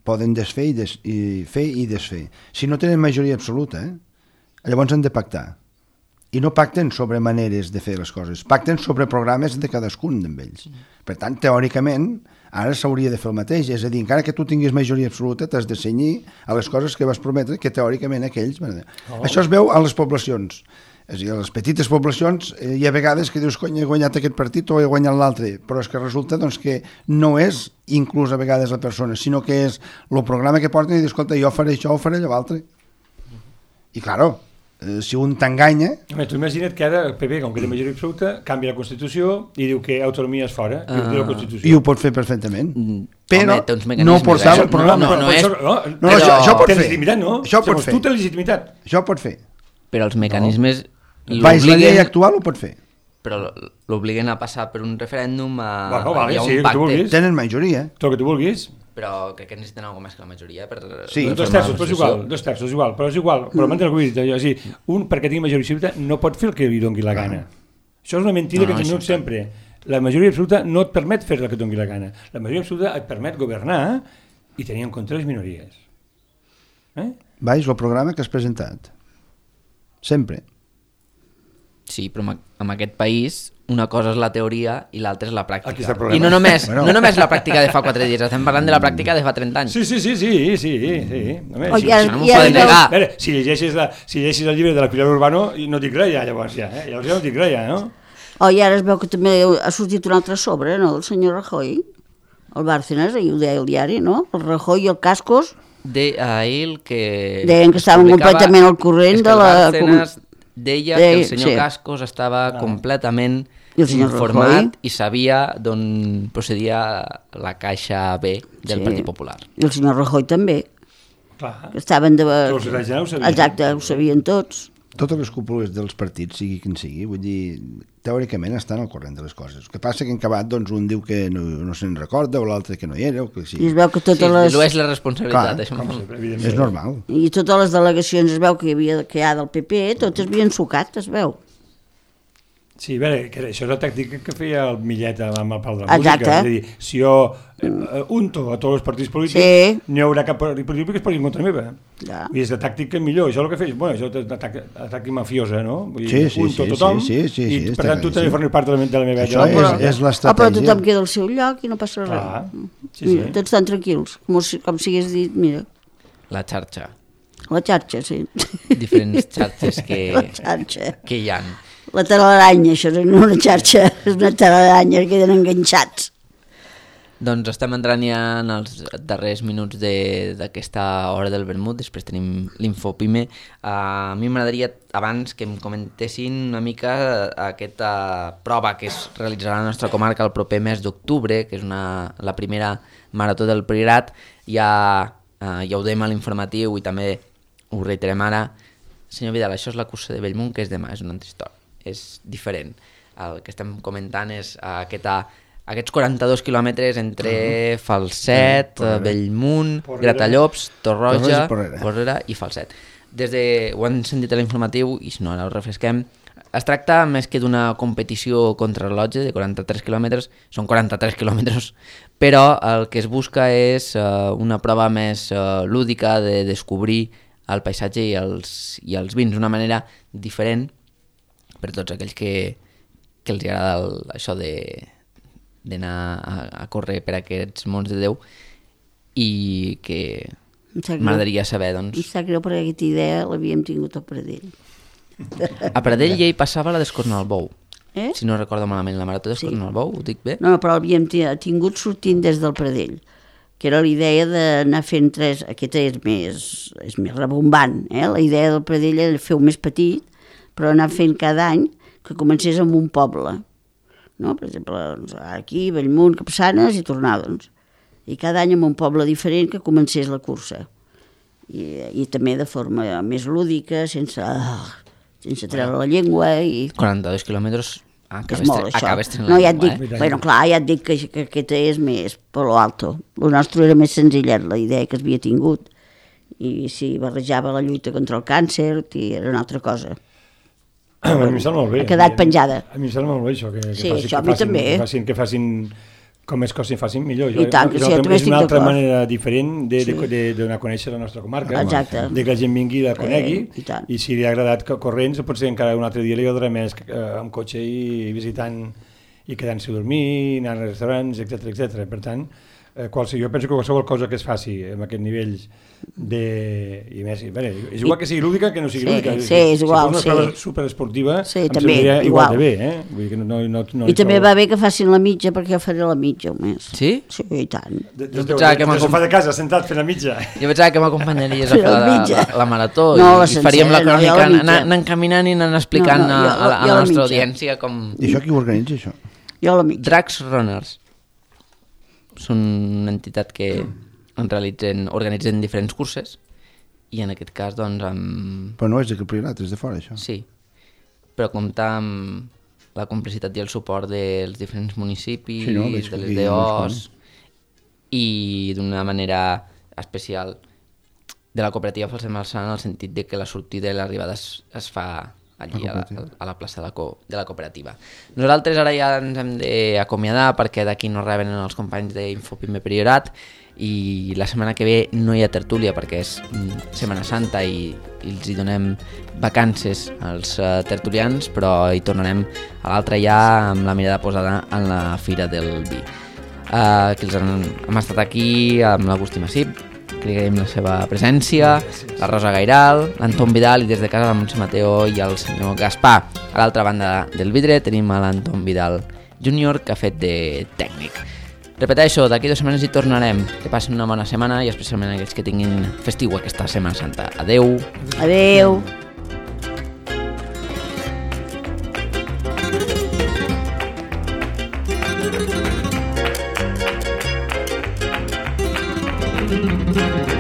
Poden desfer i, des, i fer i desfer. Si no tenen majoria absoluta, eh? Llavors han de pactar. I no pacten sobre maneres de fer les coses, pacten sobre programes de cadascun d'ells. Per tant, teòricament, ara s'hauria de fer el mateix, és a dir, encara que tu tinguis majoria absoluta, t'has de cenyir a les coses que vas prometre, que teòricament aquells... Oh. Això es veu a les poblacions. És a dir, a les petites poblacions eh, hi ha vegades que dius, cony, he guanyat aquest partit o he guanyat l'altre, però és que resulta doncs, que no és inclús a vegades la persona, sinó que és el programa que porten i dius, escolta, jo faré això o faré allò altre. I, claro, eh, si un t'enganya... Home, tu imagina't que ara el P P, com que té majoria absoluta, canvia la Constitució i diu que autonomia és fora uh, de la Constitució. I ho pot fer perfectament. Home, Però té uns no mecanismes, portava eh? el programa. No, no, no, és... no, no, No, no, això, això pot té fer. legitimitat, no? Això pot Segons fer. tu té legitimitat. Això pot fer. Però els mecanismes Baix la llei actual ho pot fer. però l'obliguen a passar per un referèndum, a, Bueno, vale, hi ha sí, un el que tu pacte, vulguis. Tenen majoria. Tot el que tu vulguis. però crec que necessiten alguna més que la majoria per Sí. per Dos formar terços, la però és Constitució. igual, dos terços, és igual, però és igual, però m'entens el que vull dir, o sigui, un perquè tingui majoria absoluta no pot fer el que li doni la gana. Això és una mentida No, que no, ens això diuen sempre. La majoria absoluta no et permet fer el que et doni la gana. La majoria absoluta et permet governar i tenir en compte les minories. Eh? Baix el programa que has presentat. Sempre. Sí, però amb, amb aquest país una cosa és la teoria i l'altra és la Aquí pràctica. està el problema. I no només, Bueno. no només la pràctica de fa quatre dies, estem parlant de la pràctica de fa trenta anys. Sí, sí, sí, sí, sí, sí. Home, Oh, sí, ja- sí. no m'ho ja poden veu- negar. A veure, si llegeixes, la, si llegeixes el llibre de la Pilar Urbano, no dic res ja, llavors ja, eh? Llavors ja no dic res ja, no? Oh, i ara es veu que també ha sortit un altre sobre, no?, del senyor Rajoy. El Bárcenas, ahir ho deia el diari, no? El Rajoy i el Cascos De a ell que... deien que es estaven publicava- completament al corrent és que de el la... Bárcenas deia que Deia- el senyor sí. Cascos estava Ah. completament I el senyor informat Rajoy? i sabia d'on procedia la caixa B del Sí. Partit Popular. I el senyor Rajoy també, Clar. que estaven de... Els ciutadans ja ho sabien. Exacte, ho sabien tots. Totes les cúpules dels partits, sigui quin sigui, vull dir, teòricament estan al corrent de les coses. El que passa que en acabat, doncs, un diu que no, no se'n recorda, o l'altre que no hi era, o que I sigui. es veu que Sí, totes les... no és la responsabilitat, Clar, això. Com sempre, evidentment. És normal. I totes les delegacions es veu que hi havia que hi ha del P P, totes havien sucat, es veu. Sí, a veure, que això és la tàctica que feia el Millet amb el pal de la Exacte. música. És a dir, si jo eh, unto a tots els partits polítics, Sí. n'hi haurà cap partit polític que es posi en contra meva. Ja. I és la tàctica millor. Això és el que feix, bueno, això és l'atac mafiosa, no? Vull Sí, dir, sí, unto sí, tothom, sí, sí, sí, i sí, per està tant tu també claríssim. formes part de la, de la meva Això vida. és, és Ah, però l'estratègia. tothom queda al seu lloc i no passa res. Clar, sí, Mira, sí. tots estan tranquils, com, si- com si hagués dit, mira, La xarxa. la xarxa, sí. Diferents xarxes que, La xarxa. que hi ha. La talaranya, això no és una xarxa, és una talaranya, que queden enganxats. Doncs estem entrant ja en els darrers minuts de- d'aquesta hora del vermut, després tenim l'Infopime. Uh, a mi m'agradaria, abans, que em comentessin una mica aquesta prova que es realitzarà a la nostra comarca el proper mes d'octubre, que és una, la primera marató del Priorat. Ja, uh, ja ho dèiem a l'informatiu i també ho reiterem ara. Senyor Vidal, això és la cursa de Bellmunt, que és demà, és una altra història, és diferent. El que estem comentant és uh, aquesta... Aquests quaranta-dos quilòmetres entre uh -huh. Falset, Porrera. Bellmunt, Porrera. Gratallops, Torroja, Torroja i Porrera. Porrera i Falset. Des de, ho han sentit a l'informatiu, i si no ara ho refresquem, es tracta més que d'una competició contrarrellotge de quaranta-tres quilòmetres, són quaranta-tres quilòmetres, però el que es busca és uh, una prova més uh, lúdica de descobrir el paisatge i els, i els vins d'una manera diferent per tots aquells que, que els agrada el, això de d'anar a, a córrer per aquests mons de Déu i que Em sap greu. m'agradaria saber, Em doncs... sap greu perquè aquesta idea l'havíem tingut al Pradell. A Pradell ja hi passava la d'Escornalbou, Eh? si no recordo malament, la marató d'Escornalbou, ho dic bé? No, no, però l'havíem ti- tingut sortint des del Pradell, que era la idea d'anar fent tres, aquesta és més, és més rebombant, eh? La idea del Pradell era fer-ho més petit, però anar fent cada any que comencés amb un poble, no? Per exemple, doncs, aquí, Bellmunt, Capçanes i tornar, doncs. I cada any amb un poble diferent que comencés la cursa. I, i també de forma més lúdica, sense, sense treure la llengua i... quaranta-dos quilòmetres, Que acabes, és molt, tre- això. acabes tenint No, la ja et llengua, dic, eh? bueno, clar, ja et dic que, que aquesta és més per lo alto. El nostre era més senzillet, la idea que havia tingut. I si barrejava la lluita contra el càncer, i era una altra cosa. A mi em sembla molt bé. Ha quedat penjada. A mi em sembla molt bé això, que, que, Sí, facin, això a que, mi facin, també. que, facin, que facin com més coses facin millor. I tant, que sí, jo també és estic una altra d'acord. manera diferent de, Sí. de, de, de donar a conèixer la nostra comarca. Exacte. De que la gent vingui i la conegui. Eh, i tant. I si li ha agradat que corrents, potser encara un altre dia li agradarà més eh, amb cotxe i visitant i quedant-se a dormir, anant als restaurants, etcètera etcètera. Per tant, eh, qualsevol, jo penso que qualsevol cosa que es faci amb aquest nivell de... I més, bé, és igual que sigui lúdica que no sigui sí, lúdica. Sí, és igual, si fos una sí. prova superesportiva, sí, em també, semblaria igual, igual de bé, eh? Vull dir que no, no, no I també va bé que facin la mitja, perquè jo faré la mitja un mes. Sí? Sí, i tant. De, de, Jo de, pensava que de, de m'acom- sofà de casa, sentat fent la mitja. Jo pensava que m'acompanyaries a fer La la, mitja. la, la marató No, la i faríem la sencera, no, jo crònica la mitja. anant, anant caminant i anant explicant No, no, a, jo- a, la- a jo la la nostra mitja. audiència com... I això qui ho organitza, això? Jo la mitja. Drags Runners són una entitat que en realitzen, organitzen diferents curses i en aquest cas doncs amb... Però no és de Campionat, és de fora, això. Sí, però comptar amb la complicitat i el suport dels diferents municipis, Sí, no, veig de que les aquí D no es Os i d'una manera especial de la cooperativa Falsem Alçant en el sentit de que la sortida i l'arribada es, es fa allí a la, a la plaça de la, co, de la cooperativa. Nosaltres ara ja ens hem d'acomiadar perquè d'aquí no reben els companys d'Infopime Priorat i la setmana que ve no hi ha tertúlia perquè és mm, Setmana Santa i, i els hi donem vacances als uh, tertulians, però hi tornarem a l'altre ja amb la mirada posada en la Fira del Vi. Uh, que els han, hem estat aquí amb l'Agustí Massip, que li agraïm la seva presència, la Rosa Gairal, l'Anton Vidal i des de casa la Montse Mateo i el senyor Gaspar. A l'altra banda del vidre tenim a l'Anton Vidal júnior que ha fet de tècnic. Repeteixo, d'aquí dues setmanes hi tornarem. Que passin una bona setmana i especialment aquells que tinguin festiu aquesta Setmana Santa. Adeu! Adeu! Thank you.